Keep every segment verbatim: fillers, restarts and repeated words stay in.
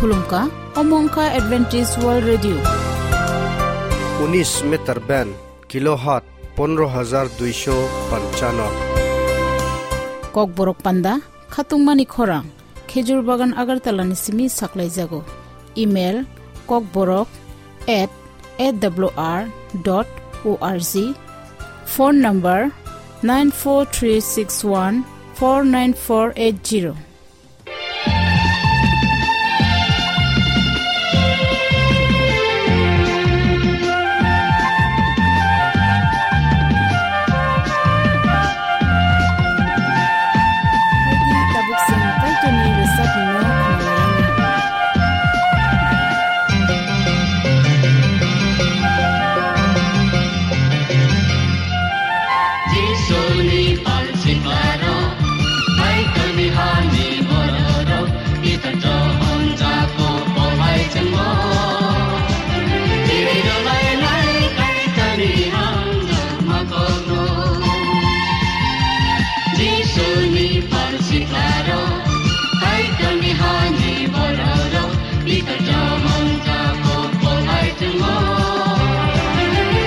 Khulumkha, omo wngkha Adventist World Radio. Unis meter band, kilohertz pondro hajar duisho panchano. Kokborok panda, khatungmani khorang, Khejur Bagan Agartala ni simi saklaijago. Email, kokborok at A W R dot O R G. Phone number, nine four three six one four nine four eight zero. Jisuni pansiklaro, Kaitorni hani bororok, Pitor Johon Jakob bo hai chengmo. Chiri dolai lai Kaitorni hamjakma kokno. Jisuni pansiklaro, Kaitorni hani bororok, Pitor Johon Jakob bo hai chengmo.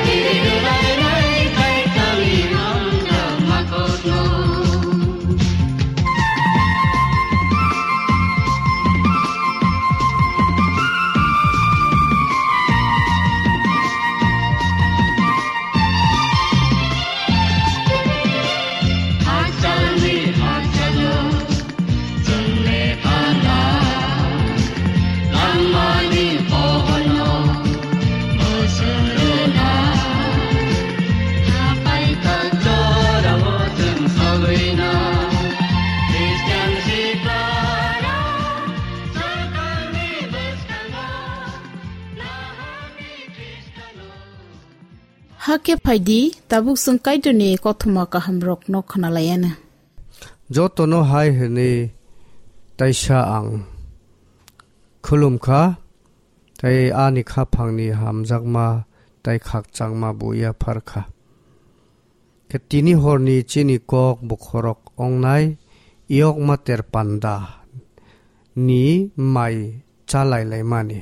Chiri dolai lai Kaitorni hamjakma kokno. Hakhe phaidi, tabuk chwng Kaitorni kothoma kahamrokno khwnalaiana. Jotono hai hwnwi taisa ang khulumkha, tei ani khaphangni hamjakma tei khakchangma bo yapharkha. Khe tini horni chini kok bokhorok ongnai Iyokma Ter Panda ni mai chalailaimani.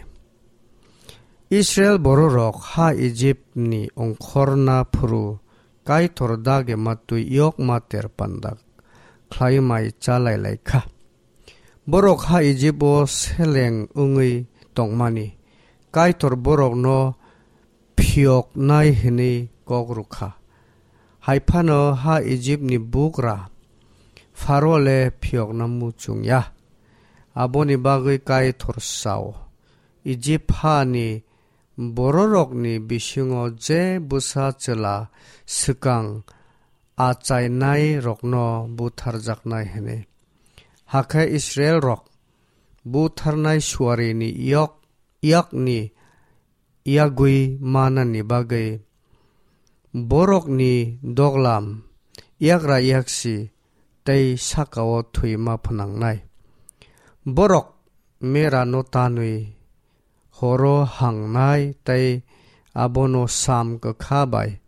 Israil bororok ha Ijipni ongkhorna phuru Kaitor dagi matwi Iyokma Ter Panda khlai mai chalailai kha. Borok ha Ijipo seleng wngwi tongmani Kaitor borokno phiyoknai hwnwi kok rw kha. Hai phano ha Ijipni bugra Pharo le phiyokna muchung ya. Aboni bagwi Kaitor sao, Ijip hani bororokni bisingo je bwsa chwla swkang achainairokno butharjaknai hwnwi. Hakhe Israilrok butharnai suarini yok, yakni yagwi manani bagwi borokni doglam yagra yaksi tei sakao thwima phnangnai. Borok merano tanwi horo hangnai tei abono sam kwkha bai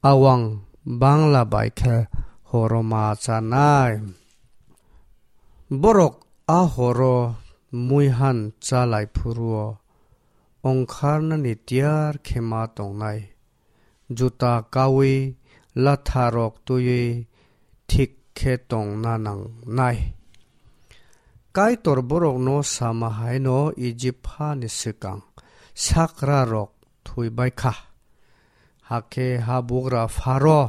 awang bangla bai khe horo ma chanai. Borok a horo muihan chalai phuruo ongkharnani tiyar khe ma tongnai. Juta kaui latharok twiwi thik khe tongna nangnai. Kaitor borokno sama haino Ijip hani swkang sakrarok thwibai kha. Hakhe habugra Pharo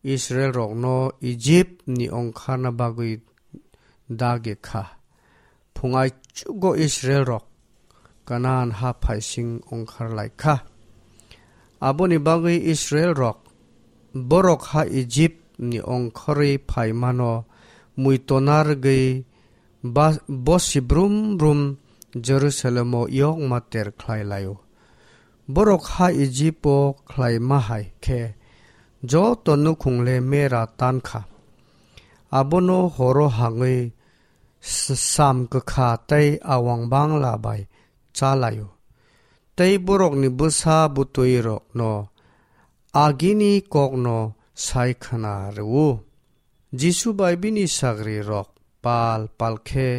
Israilrokno Ijipni ongkharna bagwi dagi kha. Phung aichugo Israilrok Kanaan ha phaising ongkhar lai kha. Aboni bagwi Israilrok borok ha Ijipni ongkhorwi phaimano muitonargwi ba-, bosi brum brum Jerusalemo yokma ter khlai laio. Borok ha Ijipo khlaima hai khe joto nukhungle mera tan kha. Abono horo hangwi s-, sam kwkha tei awang bangla bai chalaio. Tei borokni bwsa bwtwirokno agini kokno sai khna rwo. Jisu bai bini sagrirok pal pal khe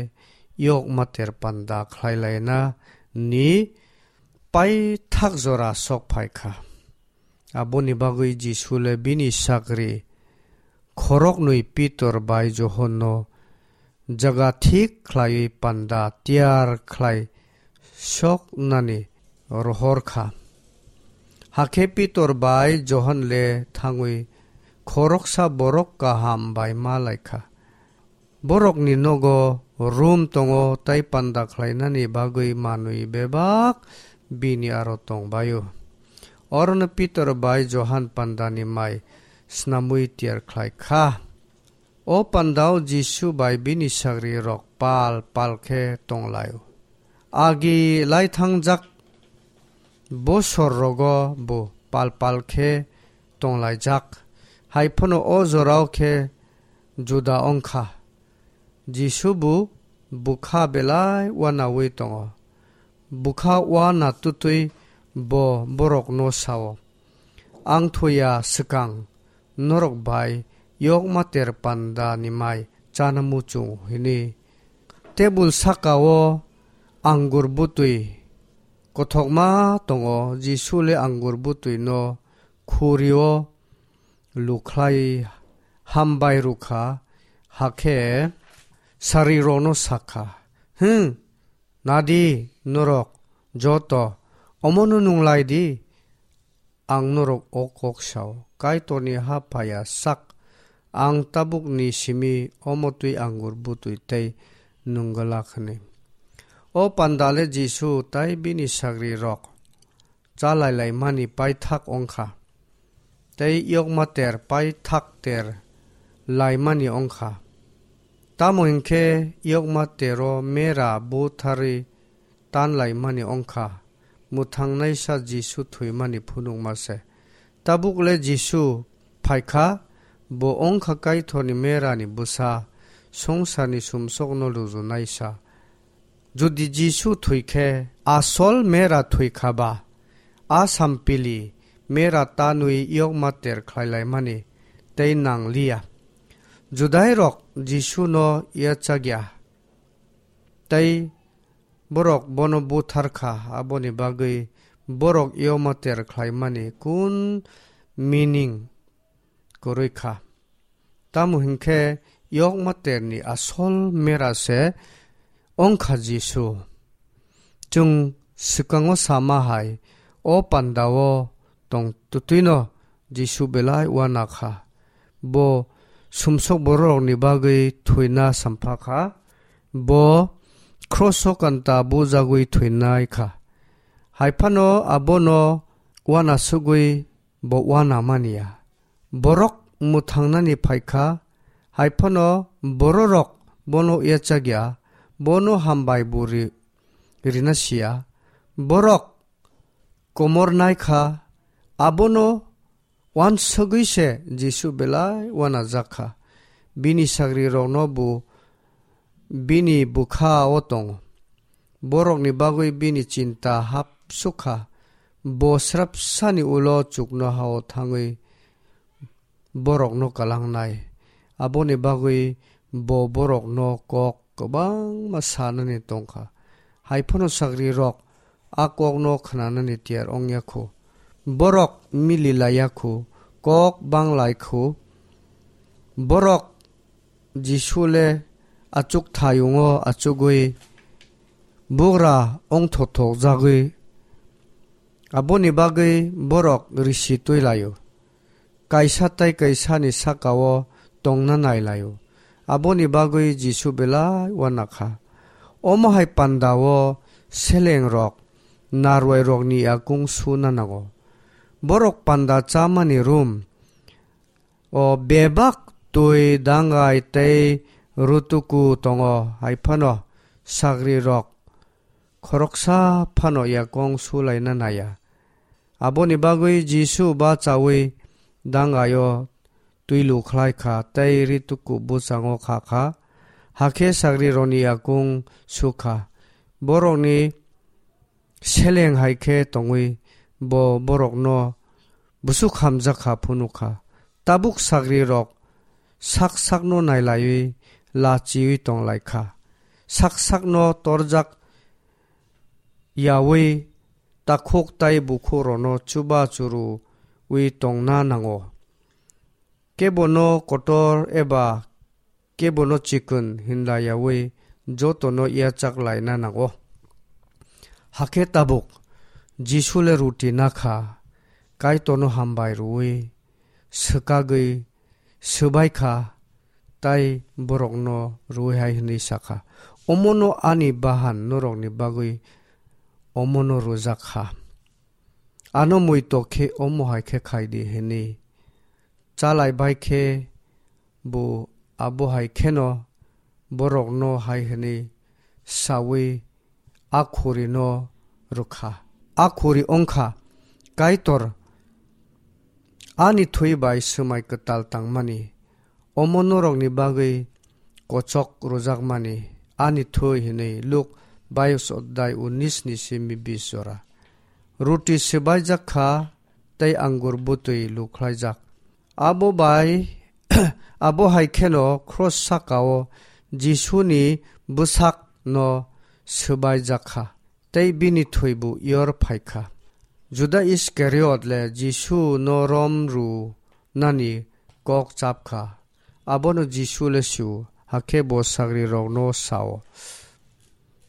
yokma ter panda khlai laina ni paithak jora sok phai kha. Aboni bagwi Jisu le bini sagri khoroknwi Pitor bai Johonno jaga thik khlaiwi panda tiyar khlai soknani rohor kha. Hakhe Pitor bai Johon le thangwi khoroksa borok kaham bai ma lai kha. Borokni nogo room tongo, tei panda khlainani bagwi manwi bebak bini aro tong bai-o. Orono Pitor bai Johon pandani mai snamwi tiyar khlai kha. O pandao Jisu bai bini sagrirok pal pal khe tong lai-o. Agi lai thangjak bosor rogo bo pal pal khe tong laijak. Hai phano o jorao khe juda wng kha. Jisu bo bwkha belai uanaui tongo. Bwkha uana twtwi bo borokno sao, "Ang thoya swkang norok bai yokma ter panda ni mai chana muchung," hwnwi. Tebul saka-o angur bwtwi kothokma tongo. Jisu le angur bwtwi no khuri-o lukhlai hambai rwkha, hakhe sagrirokno sakha, "Hwn, nadi norok joto, omono nung lai di, ang norok o kok sao, Kaitorni ha phaiya sak ang tabukni simi omo twi angur bwtwi tei nung glak," hwnwi. O panda le Jisu tei bini sagrirok cha lai laimani paithak wng kha, tei yokma ter paithak ter laimani wng kha. Tamo hwn khe yokma tero mera butharwi tan laimani wng kha, mwthangnaisa Jisu thwimani phunukma se. Tabuk le Jisu phai kha, bo wng kha Kaitorni merani bwsa, swngcharni sumsokno lujunaisa. Jodi Jisu thwi khe, asol mera thwi kha ba, a sampili mera tanwi yokma ter khlai laimani tei nang liya. Judairok Jisuno yachak ya, tei borok bono buthar kha, aboni bagwi borok yokma ter khlaimani kun meaning kwrwi kha. Tamo hwn khe yokma terni asol mera se wng kha Jisu. Chwng swkango sama hai, o pandao tong twtwino Jisu belai uana kha. Bo sumsok bororokni bagwi thwina sampha kha. Bo kroso kanta bujagwi thwinai kha. Hai phano abono uana sugwi bo uana mani ya. Borok mwthangnani phai kha, hai phano bororok bono yachak ya, bono hambai bo ri-, rina si ya. Borok komor nai kha, abono uansugwi se Jisu belai uanajak kha. Bini sagrirokno bo bini bwkha-o tongo. Borokni bagwi bini chinta hapsuk kha. Bo srapsani ulo chuknoha-o thangwi borokno kalangnai. Aboni bagwi bo borokno kok kwbangma sanani tong kha. Hai phano sagrirok a kokno khnanani tiyar wng ya khu. Borok mili lai ya khu, kok bang lai khu. Borok Jisu le achuk thayungo achugwi bugra wngthothok jagwi. Aboni bagwi borok risi twi lai-o. Kaisa tei kaisani saka-o tongna nai lai-o. Aboni bagwi Jisu belai uana kha. Omo hai panda-o selengrok narwai rokni yakung suna nango. Borok panda chamani room o bebak twi dangai tei rutuku tongo, hai phano sagrirok khoroksa phano yakung sulaina nai ya. Aboni bagwi Jisu bachaui dangaio twi lukhlai kha tei rituku bwchango kha kha, hakhe sagrirokni yakung su kha. Borokni seleng hai khe tongwi bo borokno bwswk hamjak kha phunuk kha. Tabuk sagrirok sak sakno nailaiwi lachiui tong lai kha. sak sakno torjak yaui takhuk tai bukhukrokno chuba churuui tongna nango. Kebono kotor eba kebono chikon hinla yaui jotono yachak laina nango. Hakhe tabuk Jisu le ruti nakha, Kaitorno hambai rwui swkagwi swbai kha, tai borokno rwui hai hwnwi sa kha, "Omono ani bahan norokni bagwi omono rwjak kha. Ano muitok khe omo hai khe khai di," hwnwi. Chalai bai khe bo abo hai kheno borokno hai hwnwi saui a khurino rwkha. A khuri wngkha, "Kaitor ani thwi bai swmai kwtal tangmani, omo norokni bagwi kochok rwjakmani ani thwi," hwnwi Luk bayis odai unis ni simi bis jora. Ruti swbaijak kha tei angur bwtwi lukhlaijak. Abo bai, abo hai kheno cross saka-o Jisuni bwsakno swbaijak kha, tei bini thwibu yor phai kha. Juda Iskariot le Jisuno rom rwnani kok chap kha. Abono Jisu le sio, hakhe bo sagrirokno sao,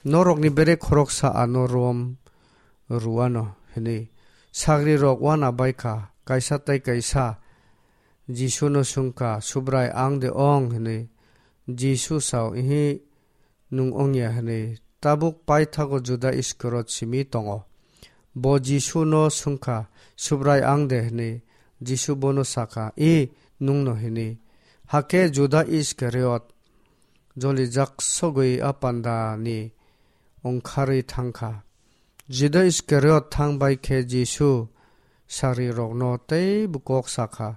"Norokni bere khoroksa ano rom rwano," hwnwi. Sagrirok uana bai kha, kaisa tei kaisa Jisuno swng kha, "Subrai, ang de ong?" hwnwi. Jisu sao, "Ihi, nwng wngya," hwnwi. Tabuk paithago Juda Iskariot simi tongo. Bo Jisuno swng kha, "Subrai, ang de?" hwnwi. Jisu bono sa kha, "I nwngno," hwnwi. Hakhe Juda Iskariot jolijak sogwi a pandani ongkharwi thang kha. Juda Iskariot thang bai khe Jisu sagrirokno teibo kok sa kha,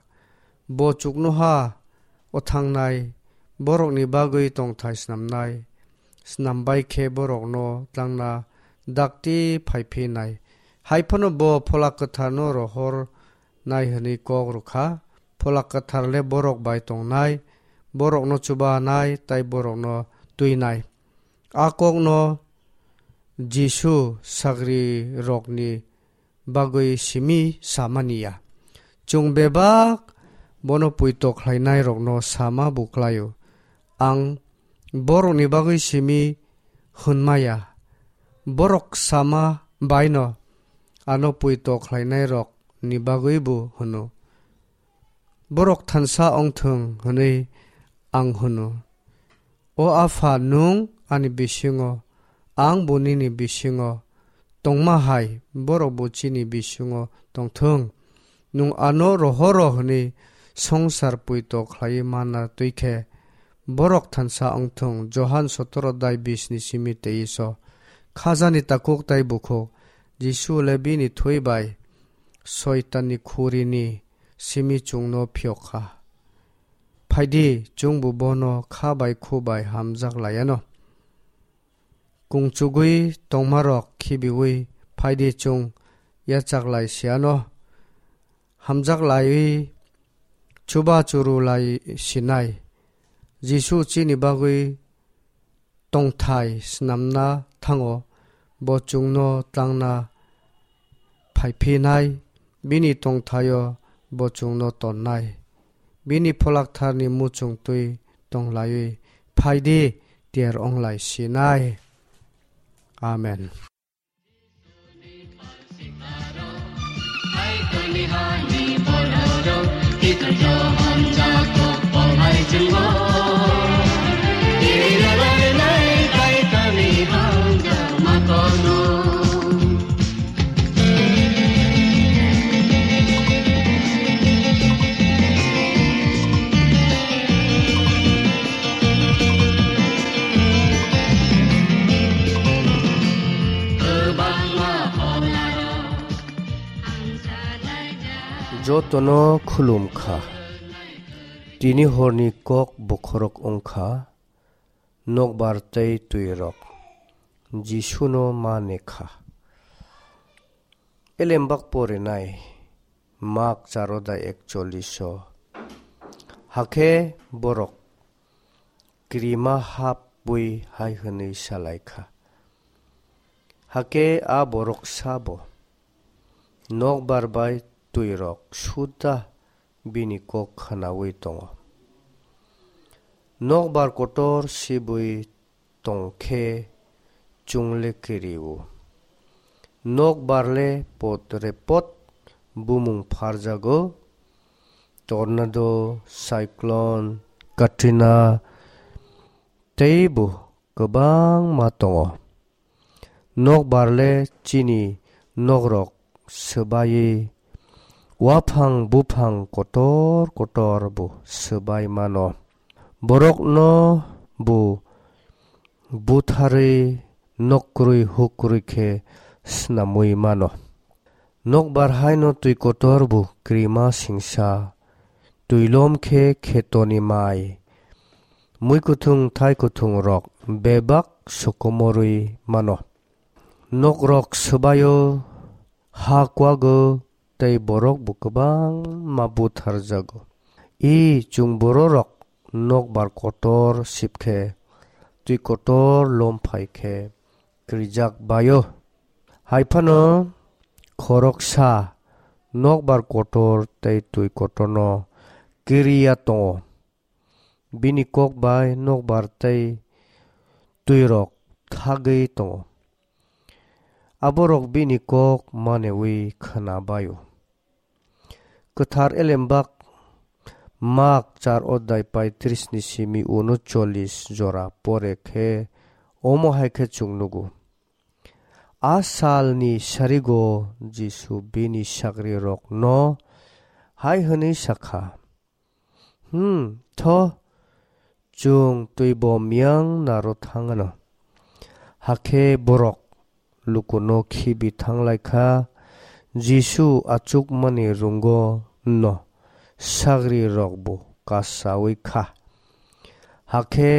"Bo chuknoha o thangnai, borokni bagwi tongthai snamnai, snam bai khe borokno tlangna dakti phai phinai. Hai phano bo Phola Kwtharno rohor nai," hwnwi kok rw kha. Phola Kwthar le borok bai tongnai, borokno chubanai tei borokno twinai. A kokno Jisu sagrirokni bagwi simi samani ya. Chwng bebak bono poito khlainairokno sama bo khlaio. Ang borokni bagwi simi hwnma ya. Borok sama baino ano poito khlainairokni bagwi bo hwno. Borok thansa ongthwng hwnwi ang hwno. O Apha, nwng ani bisingo, ang bo nini bisingo tongma hai, borok bo chini bisingo tongthwng. Nwng ano rohoro hwnwi songsar poito khlaiwi manna twi khe, borok thansa wngthwng. Johan sotoro dai bis ni simi teiso. Khajani takhuk tai bukhuk Jisu le bini thwi bai Soitanni khurini simi chwngno phiyok kha. Phaidi, chwngbo bono kha bai khu bai hamjak laiano. Kungchugwi tongmarok khibiwi phaidi, chwng yachak lai siano. Hamjak laiwi chuba churu lai sinai. Jisu chini bagwi tongthai snamna thango, bo chwngno tlangna phaiphinai, bini tongthaio bo chwngno tonnai. Bini Pholak Tharni muchung twi tong laiwi phaidi, tiyar wng lai sinai. Amen. Jotono khulum kha. Tini horni kok bokhorok wng kha nokbar tei twirok Jisuno ma ne kha. Elembak porinai Mak charoda ekchollish o. Hakhe borok kirima hap bui hai hwnwi sa lai kha. Hakhe a borok sabo nokbar bai twirok suda bini kok khnaui tongo. Nokbar kotor sibui tong khe chwng le kiri-o. Nokbar le pot re pot bumung pharjago, tornado, cyclone, Katrina tei bo kwbangma tongo. Nokbar le chini nokrok swbaiwi waphang buphang kotor kotor bo swbai mano. Borokno bo butharwi nok kwrwi huk kwrwi khe snamwi mano. Nokbar haino twi kotor bo krima singsa, twi lom khe khetoni mai, mui kuthung thai kuthung rok bebak sokomorwi mano. Nokrok swbaio, ha kuago tei borok bo kwbangma butharjago. I chwng bororok nokbar kotor sip khe, twi kotor lom phai khe krijak baio. Hai phano khoroksa nokbar kotor tei twi kotorno kiriya tongo. Bini kok bai nokbar tei twirok thagwi tongo. Aborok bini kok manewi khna baio. Kwthar Elembak Mak char odai paitris ni simi uno chollis jora pore khe omo hai khe chwng nugo. A salni sarigo Jisu bini sagrirokno hai hwnwi sa kha, "Hmm, tho, chwng twi bom yang naro thang anw." Hakhe borok lukuno khibi thang lai kha, Jisu achukmani rungo no sagrirok bo kasaui kha. Hakhe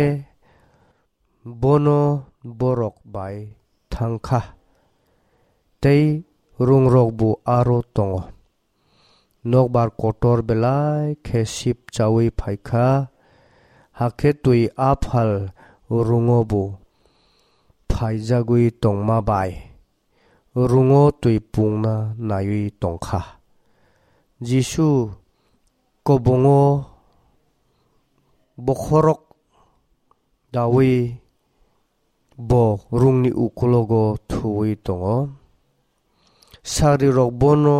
bono borok bai thang kha, tei rungrok bo aro tongo. Nokbar kotor belai khe sip chaui phai kha, hakhe twi aphal rungo bo phaijagwi tongma bai rungo twi pungna naiwi tong kha. Jisu kobongo bokhorok daui bo rungni ukulogo thuwi tongo. Sagrirok bono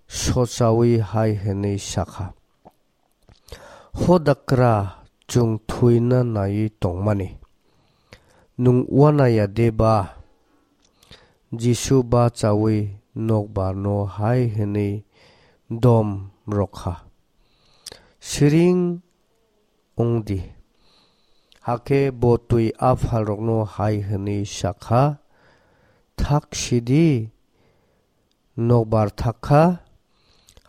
sochaui hai hwnwi sa kha, "Hodakra chwng thuina naiwi tongmani, nwng uanaya de ba?" Jisu bachaui nokbarno hai hwnwi dom rw kha, "Siring wng di." Hakhe bo twi aphalrokno hai hwnwi sa kha, "Thak sidi." Nokbar thak kha,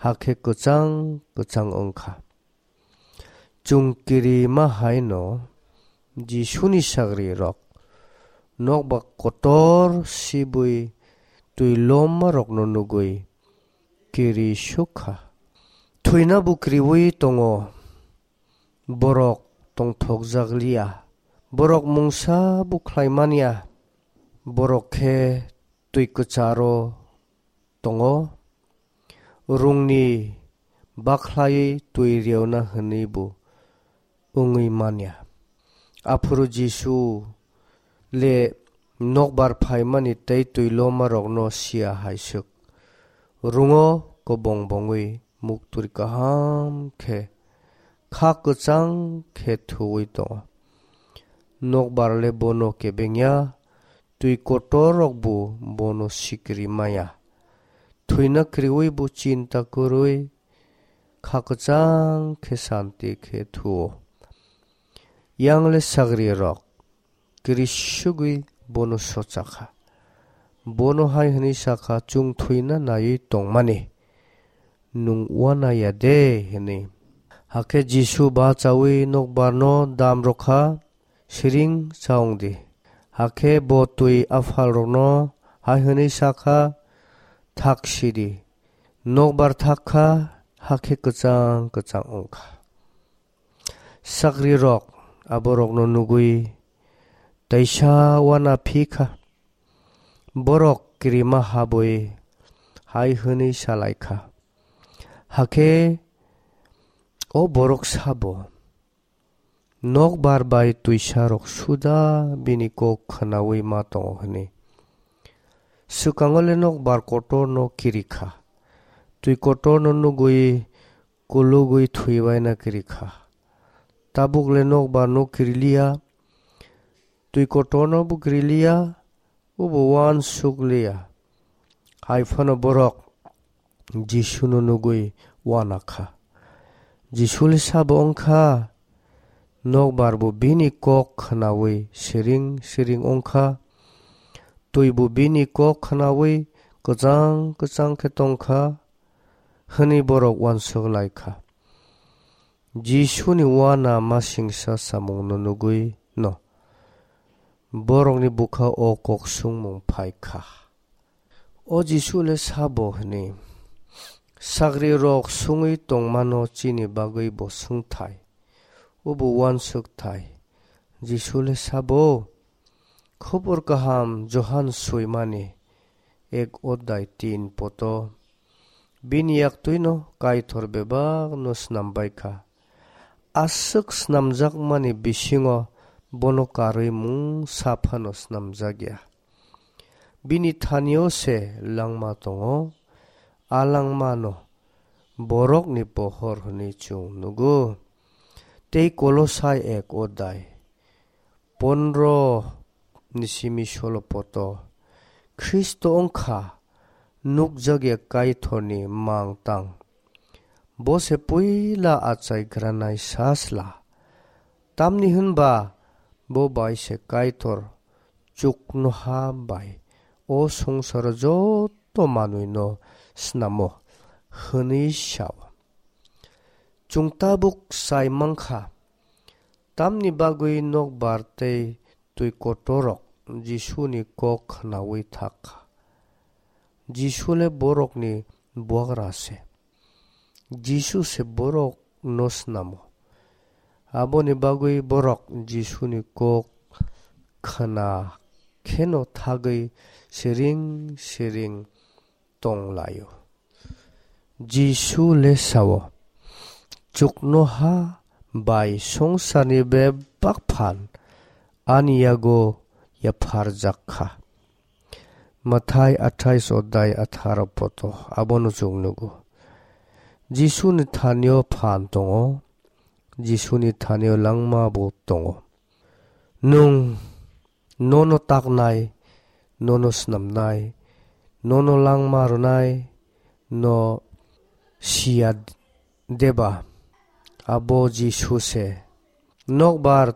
hakhe kwchang kwchang wng kha. Chwng kirima hai no Jisuni sagrirok nokbar kotor sibui twi lommarokno nugui kiri suk kha. Thwina bo kriwi tongo, borok tongthokjak liya, borok mungsa bo khlai manya, borok khe twi kwcharo tongo, rungni bakhlai twi reona hwnwi bo wngwi manya. Aphuru Jisu le nokbar phaimani tei twi lomarokno siya hai swk. Rungo kobong bongwi muktwi kaham khe kha kwchang khe thuwi tongo. Nokbar le bono kebengya, twi kotor rok bo bono sikiri maya. Thwina kriwi bo chinta kwrwi kha kwchang khe santi khe thuo. Yang le sagri rok kirisugwi bono socha kha. Bono hai hwnwi sa kha, "Chwng thwina naiwi tongmani, nwng uanaya de?" hwnwi. Hakhe Jisu bachaui nokbarno dam rw kha, "Siring cha wng di." Hakhe bo twi aphalrokno hai hwnwi sa kha, "Thak sidi." Nokbar thak kha, hakhe kwchang kwchang wng kha. Sagrirok aborokno nugwi Teisa uana phi kha. Borok kirima habwi hai hwnwi sa lai kha, hakhe o borok sabo nokbar bai twisarok suda bini kok khnaui ma tongo hwnwi. Swkango le nokbar kotorno kiri kha, twi kotorno nugwi kulugwi thwibaina kiri kha. Tabuk le nokbar no kiri liya, twi kotorno bo kiri liya, obo uansuk liya. Hai phano borok Jisuno nugwi uana kha. Jisu le sabo wng kha, nokbar bo bini kok khnaui siring siring wng kha, twi bo bini kok khnaui kwchang kwchang khe tong kha, hwnwi borok uansuk lai kha. Jisuni uana masingsa samungno nugwi no borokni bwkha o kok sungmung phai kha. O Jisu le sabo hwnwi, sagrirok sungwi tongmano chini bagwi bo swngthai, obo uansukthai. Jisu le sabo, Khobor kaham Johan swimani ek odai tin poto. Bini yaktwino Kaitor bebakno snam bai kha. Aswk snamjakmani bisingo bono karwi mungsa phano snamjak ya. Bini thanio se langma tongo, a langmano borokni pohor hwnwi chwng nugo. Tei Kolosai ek odai pondro ni simi solo poto, Khristo wng kha nukjakya Kaitorni mang tang. Bo se puila achaigranai sasla. Tamni hwnba bo bai se Kaitor chuknoha bai o songsaro joto manwino snamo hwnwi sao. Chwng tabuk sai mankha, tamni bagwi nokbar tei twi kotorrok Jisuni kok khnaui thak kha. Jisu le borokni buagra se. Jisu se borokno snamo. Aboni bagwi borok Jisuni kok khna kheno thagwi siring siring tong laio. Jisu le sao, "Chuknoha bai songsarni bebak phan ani yago yapharjak kha." Mathai athais odai atharo poto abono chwng nugo. Jisuni thanio phan tongo, Jisuni thanio langma bo tongo. Nwng nono taknai, nono snamnai, nono langma rwnai, no siya deba? Abo Jisu se. Nokbar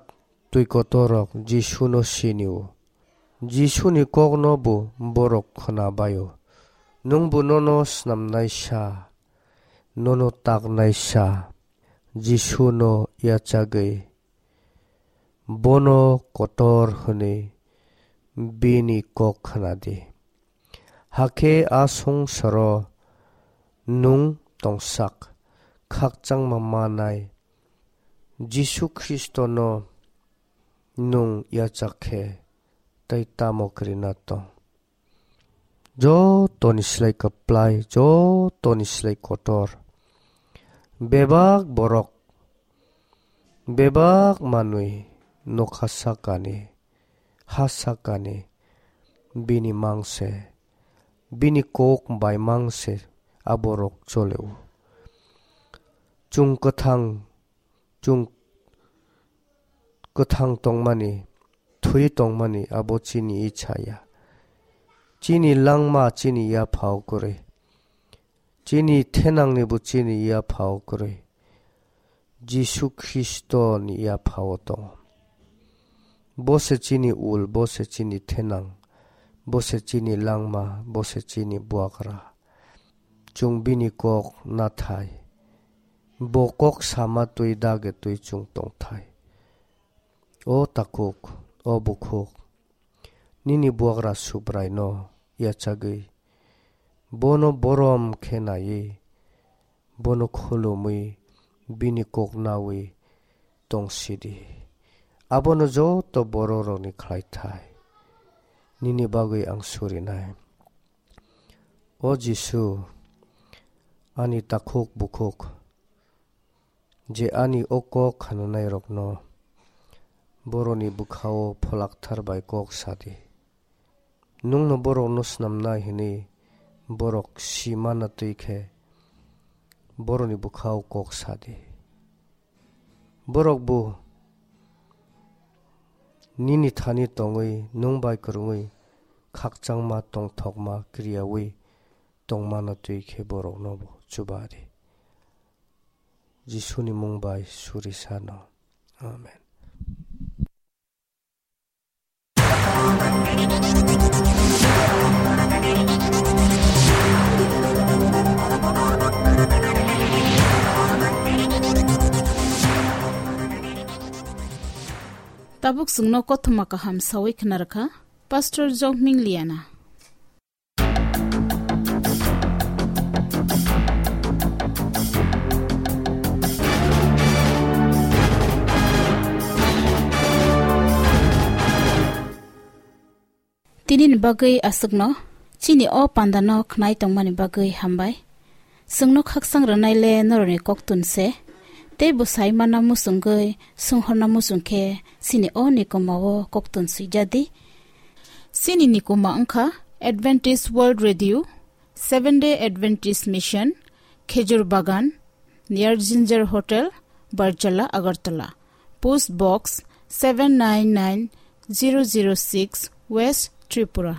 twi kotorrok Jisuno sinio. Jisuni kokno bo borok khna baio. Nwngbo nono snamnai sa, nono taknai sa, Jisuno yachagwi bono kotor hwnwi bini kok khna di. Hakhe a songsaro nwng tongsak khakchangma manai Jisu Khristono nwng yachak khe tei tamo kwrwina tong? Jotoni slai kwplai, jotoni slai kotor. Bebak borok, bebak manwi nokha sakani, ha sakani, bini mangse, bini kok bai mangse aborok choleo. Chwng kwthang, chwng kwthang tongmani, thwi tongmani abo chini icha ya. Chini langma chini yaphao kwrwi. Chini thenangnibo chini yaphao kwrwi. Jisu Khristoni yaphao tongo. Bo se chini ul, bo se chini thenang, bo se chini langma, bo se chini buagra. Chwng bini kok nathai. Bo kok sama twi dagi twi chwng tongthai. O takhuk, o bukhuk, nini buagra Subraino yachagwi, bono borom khe naiwi, bono khulumwi, bini kok naui tong sidi. Abono joto bororokni khlaithai nini bagwi ang surinai. O Jisu, ani takhuk bukhuk, je ani o kok khnanairokno borokni bwkhao pholakthar bai kok sa di. Nwngno borokno snamnai hwnwi borok si manna twi khe borokni bwkhao kok sa di. Borok bo nini thani tongwi nwng bai kwrwngwi khakchangma tongthokma kriyaui tongmano twi khe borokno bo chuba di. Jisuni mung bai suri sano. Amen. Tabuk chwngno kothoma kaham sawi khna rwkha Pastor Jokming Liana. Tinini bagwi aswkno, chini o pandano khnai tongmani bagwi hambai. Chwngno khakchang rwnai le norokni koktun se, tei bo sai manna muchungwi, swnghorna muchung khe chini o nikoma o koktun swijadi. Chini nikoma wngkha Adventist World Radio, Seventh Day Adventist Mission, Khejur Bagan, near Ginger Hotel, Barjala, Agartala. Post Box seven nine nine zero zero six, West Tripura.